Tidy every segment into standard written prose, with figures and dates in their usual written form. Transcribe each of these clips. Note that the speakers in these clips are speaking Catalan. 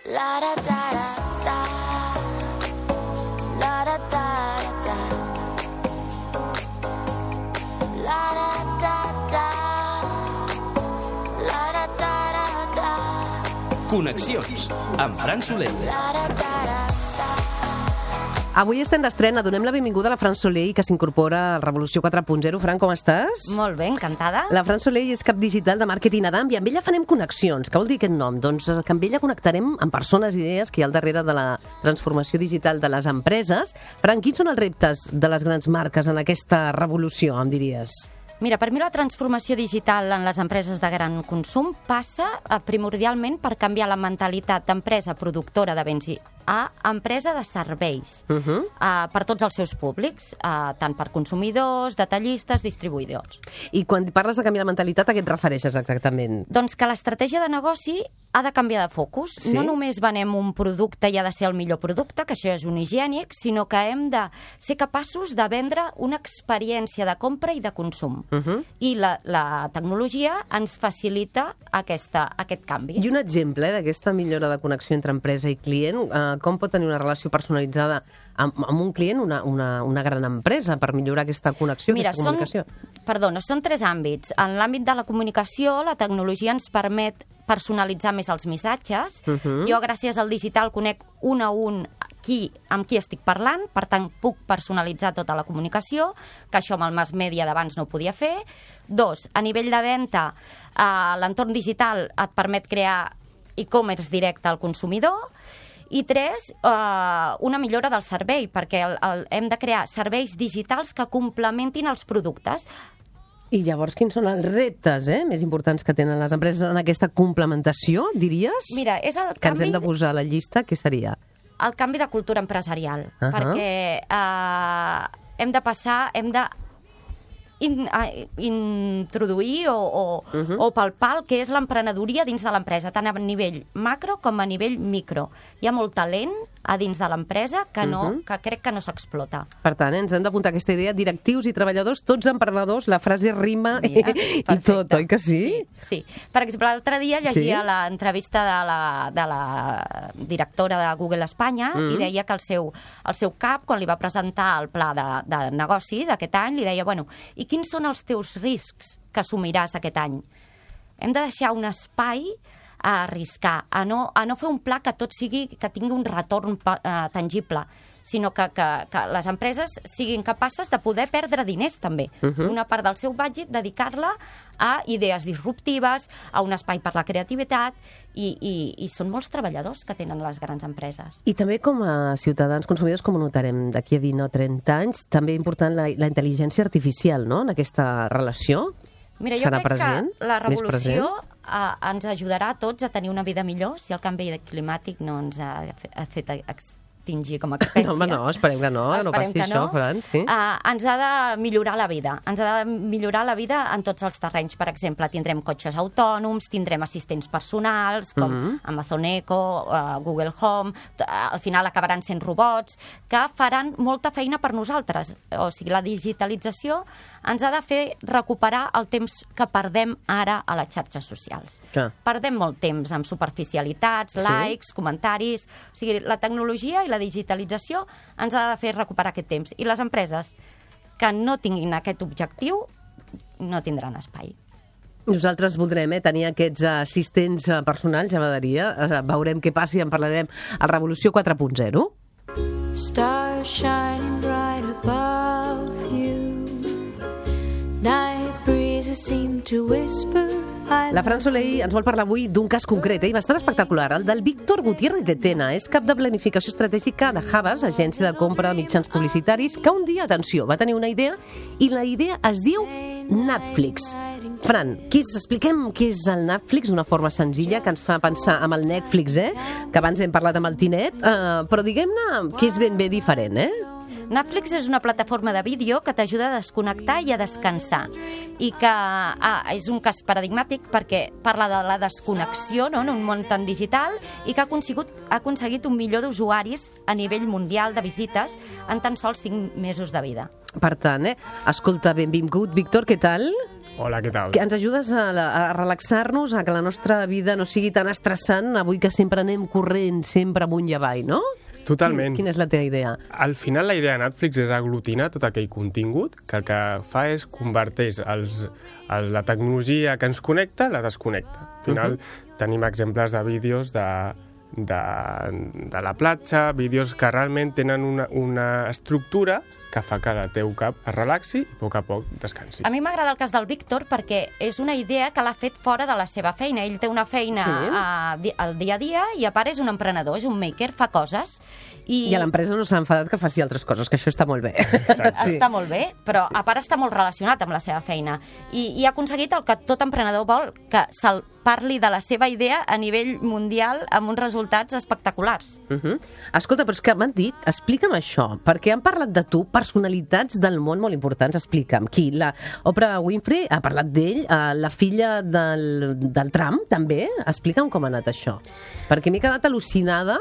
La da da da la da da da la da da da la da da da. Connexions amb Fran Soler. La da da da. Avui estem d'estrena, donem la benvinguda a la Fran Soler, que s'incorpora a Revolució 4.0. Fran, com estàs? Molt bé, encantada. La Fran Soler és cap digital de màrqueting Adam i amb ella farem connexions. Què vol dir aquest nom? Doncs que amb ella connectarem amb persones i idees que hi ha al darrere de la transformació digital de les empreses. Fran, quins són els reptes de les grans marques en aquesta revolució, em diries? Mira, per mi la transformació digital en les empreses de gran consum passa primordialment per canviar la mentalitat d'empresa productora de béns a empresa de serveis per tots els seus públics, tant per consumidors, detallistes, distribuïdors. I quan parles de canviar la mentalitat, a què et refereixes exactament? Doncs que l'estratègia de negoci ha de canviar de focus. Sí? No només venem un producte i ha de ser el millor producte, que això és un higiènic, sinó que hem de ser capaços de vendre una experiència de compra i de consum. I la tecnologia ens facilita aquest canvi. I un exemple d'aquesta millora de connexió entre empresa i client, com pot tenir una relació personalitzada amb un client una gran empresa per millorar aquesta connexió, Mira, aquesta comunicació? Són tres àmbits. En l'àmbit de la comunicació, la tecnologia ens permet personalitzar més els missatges. Jo, gràcies al digital, conec un a un amb qui estic parlant, per tant, puc personalitzar tota la comunicació, que això amb el mass media d'abans no ho podia fer. 2, a nivell de venda, l'entorn digital et permet crear e-commerce directe al consumidor. I 3, una millora del servei, perquè hem de crear serveis digitals que complementin els productes. I llavors, quins són els reptes més importants que tenen les empreses en aquesta complementació, diries? Mira, és el que ens canvi... hem de posar a la llista, què seria? El canvi de cultura empresarial, perquè hem de introduir o palpar el que és l'emprenedoria dins de l'empresa, tant a nivell macro com a nivell micro. Hi ha molt talent a dins de l'empresa que crec que no s'explota. Per tant, ens hem d'apuntar aquesta idea, directius i treballadors, tots emprenedors, la frase rima i tot, oi que sí? Sí. Per exemple, l'altre dia llegia l'entrevista de la directora de Google Espanya i deia que el seu cap, quan li va presentar el pla de negoci d'aquest any, li deia, bueno, i quins són els teus riscs que assumiràs aquest any? Hem de deixar un espai a arriscar, a no fer un pla que tingui un retorn tangible, sinó que les empreses siguin capaces de poder perdre diners també. Una part del seu budget dedicar-la a idees disruptives, a un espai per la creativitat, i són molts treballadors que tenen les grans empreses. I també com a ciutadans consumidors, com ho notarem d'aquí a 20 o 30 anys, també important la intel·ligència artificial, no?, en aquesta relació. Mira, jo crec que la revolució ens ajudarà a tots a tenir una vida millor si el canvi climàtic no ens ha fet extingir com a espècie. No, home, no, esperem que no passi això, Fran, sí. Ens ha de millorar la vida. Ens ha de millorar la vida en tots els terrenys. Per exemple, tindrem cotxes autònoms, tindrem assistents personals, com Amazon Echo, Google Home, al final acabaran sent robots, que faran molta feina per nosaltres. O sigui, la digitalització ens ha de fer recuperar el temps que perdem ara a les xarxes socials. Perdem molt temps amb superficialitats, likes, comentaris... O sigui, la tecnologia i la digitalització ens ha de fer recuperar aquest temps. I les empreses que no tinguin aquest objectiu no tindran espai. Nosaltres voldrem tenir aquests assistents personals, ja m'agradaria. Veurem què passa i en parlarem a Revolució 4.0. Stars shining bright above you. Night breezes seem to whisper. La Fran Soler ens vol parlar avui d'un cas concret, i bastant espectacular, el del Víctor Gutiérrez de Tena. És cap de planificació estratègica de Havas, agència de compra de mitjans publicitaris, que un dia, atenció, va tenir una idea, i la idea es diu Netflix. Fran, expliquem què és el Netflix d'una forma senzilla, que ens fa pensar amb el Netflix, que abans hem parlat amb el Tinet, però diguem-ne que és ben bé diferent, Netflix és una plataforma de vídeo que t'ajuda a desconnectar i a descansar, i que és un cas paradigmàtic perquè parla de la desconnexió, no?, en un món tan digital, i que ha aconseguit un milió d'usuaris a nivell mundial de visites en tan sols 5 mesos de vida. Per tant, escolta, benvingut, Víctor, què tal? Hola, què tal? Que ens ajudes a relaxar-nos, a que la nostra vida no sigui tan estressant, avui que sempre anem corrent, sempre amunt i avall, no? Totalment. Quina és la teva idea? Al final la idea de Netflix és aglutinar tot aquell contingut que el que fa és converteix la tecnologia que ens connecta, la desconnecta. Al final tenim exemples de vídeos de la platja, vídeos que realment tenen una estructura que fa que el teu cap es relaxi i a poc descansi. A mi m'agrada el cas del Víctor perquè és una idea que l'ha fet fora de la seva feina. Ell té una feina al dia a dia i a part és un emprenedor, és un maker, fa coses. I a l'empresa no s'ha enfadat que faci altres coses, que això està molt bé. Exacte. Està molt bé, però a part està molt relacionat amb la seva feina. I ha aconseguit el que tot emprenedor vol, que se'l parli de la seva idea a nivell mundial amb uns resultats espectaculars. Escolta, però és que m'han dit, explica'm això, perquè han parlat de tu personalitats del món molt importants, explica'm. Qui? La Oprah Winfrey ha parlat d'ell, la filla del Trump també? Explica'm com ha anat això. Perquè m'he quedat al·lucinada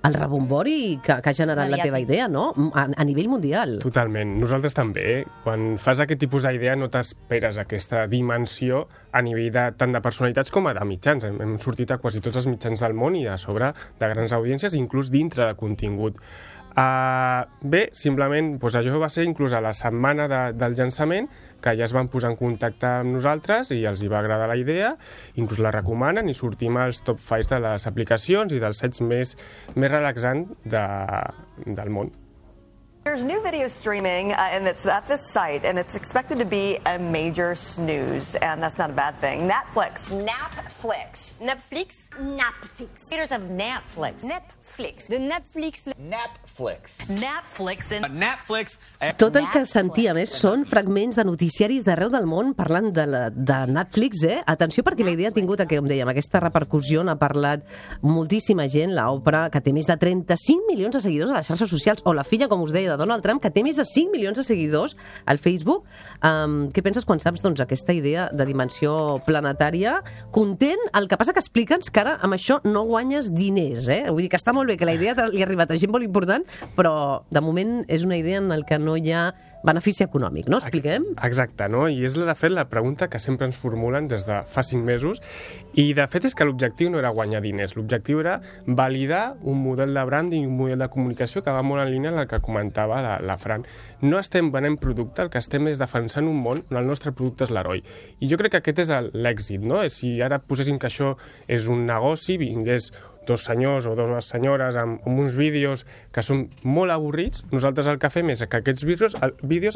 el rebombori que ha generat la teva idea, no? A nivell mundial. Totalment. Nosaltres també. Quan fas aquest tipus d'idea no t'esperes aquesta dimensió a nivell tant de personalitats com de mitjans. Hem sortit a quasi tots els mitjans del món i a sobre de grans audiències, inclús dintre de contingut. Bé, simplement, això va ser inclús a la setmana del llançament, que ja es van posar en contacte amb nosaltres i els hi va agradar la idea, inclús la recomanen i sortim als top 5 de les aplicacions i dels sites més relaxants del món. There's new video streaming, and it's at this site, and it's expected to be a major snooze, and that's not a bad thing. Netflix. Netflix. Netflix? Netflix. Creators of Netflix. Netflix. The Netflix. Netflix. Netflix and Netflix. Tot el que sentia més són fragments de noticiaris d'arreu del món parlant de Netflix, Atenció, perquè la idea ha tingut, com dèiem, aquesta repercussió, n'ha parlat moltíssima gent, l'Oprah, que té més de 35 milions de seguidors a les xarxes socials, o la filla, com us deia, de Donald Trump, que té més de 5 milions de seguidors al Facebook. Què penses quan saps aquesta idea de dimensió planetària? Content? El que passa que explica'ns que ara amb això no guanyes diners, Vull dir que està molt bé que la idea li ha arribat a gent molt important, però de moment és una idea en la que no hi ha benefici econòmic, no? Expliquem? Exacte, no? I és, de fet, la pregunta que sempre ens formulen des de fa 5 mesos, i de fet és que l'objectiu no era guanyar diners, l'objectiu era validar un model de branding, un model de comunicació que va molt en línia amb el que comentava la Fran. No estem venent producte, el que estem és defensant un món on el nostre producte és l'heroi. I jo crec que aquest és l'èxit, no? Si ara poséssim que això és un negoci, vingués 2 senyors o 2 senyores amb uns vídeos que són molt avorrits, nosaltres el que fem és que aquests vídeos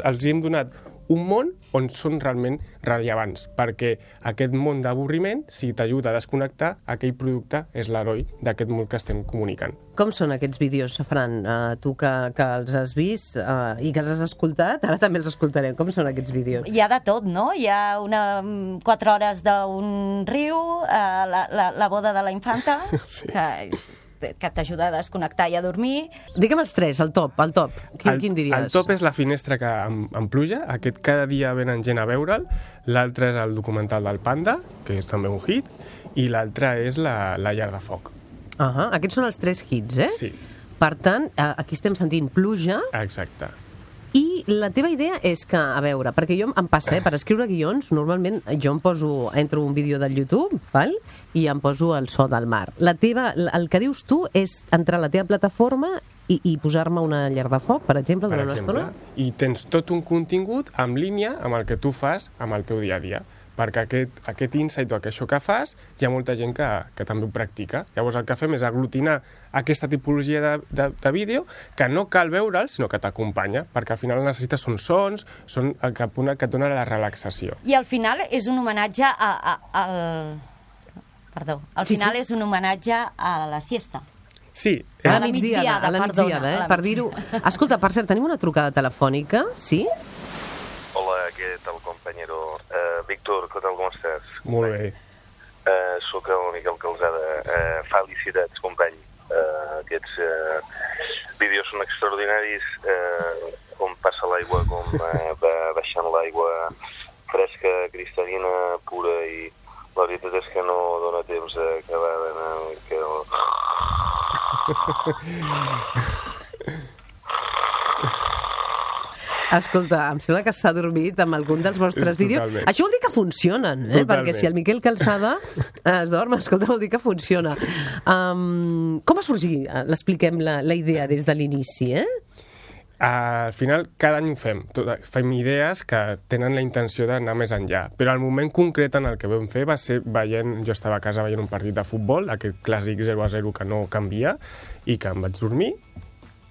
els hem donat un món on són realment rellevants, perquè aquest món d'avorriment, si t'ajuda a desconnectar, aquell producte és l'heroi d'aquest món que estem comunicant. Com són aquests vídeos, Fran? Tu que els has vist i que els has escoltat, ara també els escoltarem. Com són aquests vídeos? Hi ha de tot, no? Hi ha 4 hores d'un riu, la boda de la infanta, Sí. que t'ajuda a desconnectar i a dormir. Digue'm els 3, el top. Quin diries? El top és La finestra que amb pluja, aquest cada dia venen gent a veure'l, l'altre és el documental del Panda, que és també un hit, i l'altre és la llar de foc. Aquests són els 3 hits, Sí. Per tant, aquí estem sentint pluja. Exacte. I la teva idea és que, a veure, perquè jo em passa, per escriure guions, normalment jo entro un vídeo del YouTube, val? I em poso el so del mar. El que dius tu és entrar a la teva plataforma i posar-me una llar de foc, per exemple, durant una estona? I tens tot un contingut en línia amb el que tu fas amb el teu dia a dia, perquè aquest insight o això que fas, hi ha molta gent que també ho practica. Llavors el que fem és aglutinar aquesta tipologia de vídeo que no cal veure'l, sinó que t'acompanya, perquè al final necessites sons, són el que et dona la relaxació. I al final és un homenatge és un homenatge a la siesta. Sí. A la migdiada, per dir-ho. Escolta, per cert, tenim una trucada telefònica, sí? Hola, ¿qué tal, compañero? Víctor, ¿qué tal, com estàs? Molt bé. Soc el Miquel Calzada. Felicitats, company. Aquests vídeos són extraordinaris, com passa l'aigua, com va baixant l'aigua fresca, cristal·lina, pura, i la veritat és que no dóna temps d'acabar d'anar... Escolta, em sembla que s'ha dormit amb algun dels vostres vídeos. Totalment. Això vol dir que funcionen, Totalment. perquè si el Miquel Calçada es dorm, escolta, vol dir que funciona. Com va sorgir, l'expliquem, la idea des de l'inici, Al final, cada any ho fem. Fem idees que tenen la intenció d'anar més enllà. Però el moment concret en el que vam fer va ser veient... Jo estava a casa veient un partit de futbol, aquest clàssic 0-0 que no canvia, i que em vaig dormir,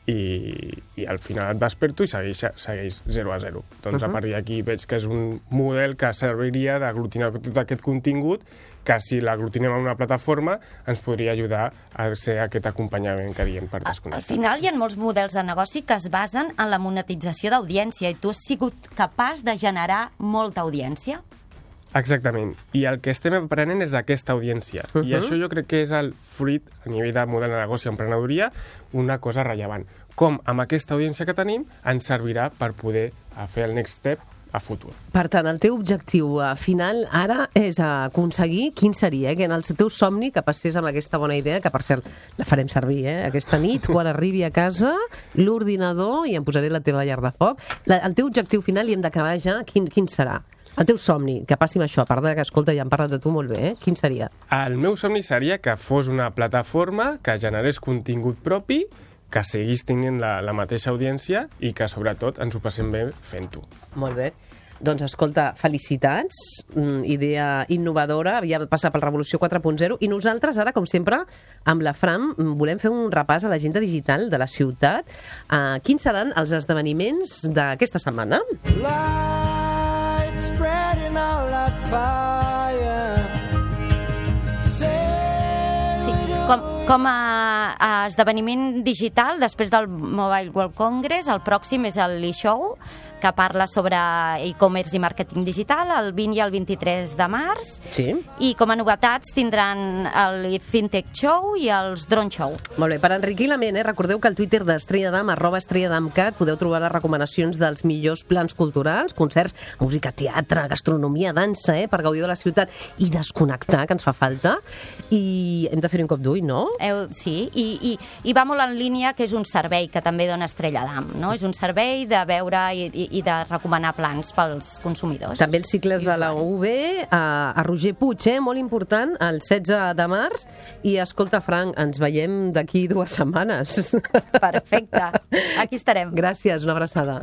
i al final et desperto i segueix 0-0. Doncs a partir d'aquí veig que és un model que serviria d'aglutinar tot aquest contingut, que si l'aglutinem en una plataforma ens podria ajudar a ser aquest acompanyament que diem per Al desconnectar. final hi ha molts models de negoci que es basen en la monetització d'audiència i tu has sigut capaç de generar molta audiència. Exactament. I el que estem aprenent és d'aquesta audiència. I això jo crec que és el fruit, a nivell de model de negoci i emprenedoria, una cosa rellevant. Com amb aquesta audiència que tenim ens servirà per poder fer el next step a futur. Per tant, el teu objectiu final ara és aconseguir, quin seria, que en el teu somni que passés amb aquesta bona idea, que per cert la farem servir, aquesta nit, quan arribi a casa, l'ordinador, i em posaré la teva llar de foc. El teu objectiu final, i hem d'acabar ja, quin serà? El teu somni, que passi amb això, a part de que, escolta, ja hem parlat de tu molt bé, quin seria? El meu somni seria que fos una plataforma que generés contingut propi, que seguís tenint la mateixa audiència i que, sobretot, ens ho passem bé fent-ho. Molt bé. Doncs, escolta, felicitats, idea innovadora, havia de passar pel Revolució 4.0, i nosaltres ara, com sempre, amb la Fran, volem fer un repàs a l'agenda digital de la ciutat. Quins seran els esdeveniments d'aquesta setmana? Com a esdeveniment digital, després del Mobile World Congress, el pròxim és el e-show, que parla sobre e-commerce i màrqueting digital, el 20 i el 23 de març. Sí. I com a novetats tindran el Fintech Show i els Drone Show. Molt bé, per enriquir la ment, recordeu que al Twitter d'Estrella Damm, @EstrellaDammCat, podeu trobar les recomanacions dels millors plans culturals, concerts, música, teatre, gastronomia, dansa, per gaudir de la ciutat i desconnectar, que ens fa falta. I hem de fer un cop d'ull, no? Sí, i va molt en línia, que és un servei que també dona Estrella Damm, no? És un servei de veure i de recomanar plans pels consumidors. També els cicles de la UB, a Roger Puig, molt important, el 16 de març. I escolta, Frank, ens veiem d'aquí 2 setmanes. Perfecte. Aquí estarem. Gràcies, una abraçada.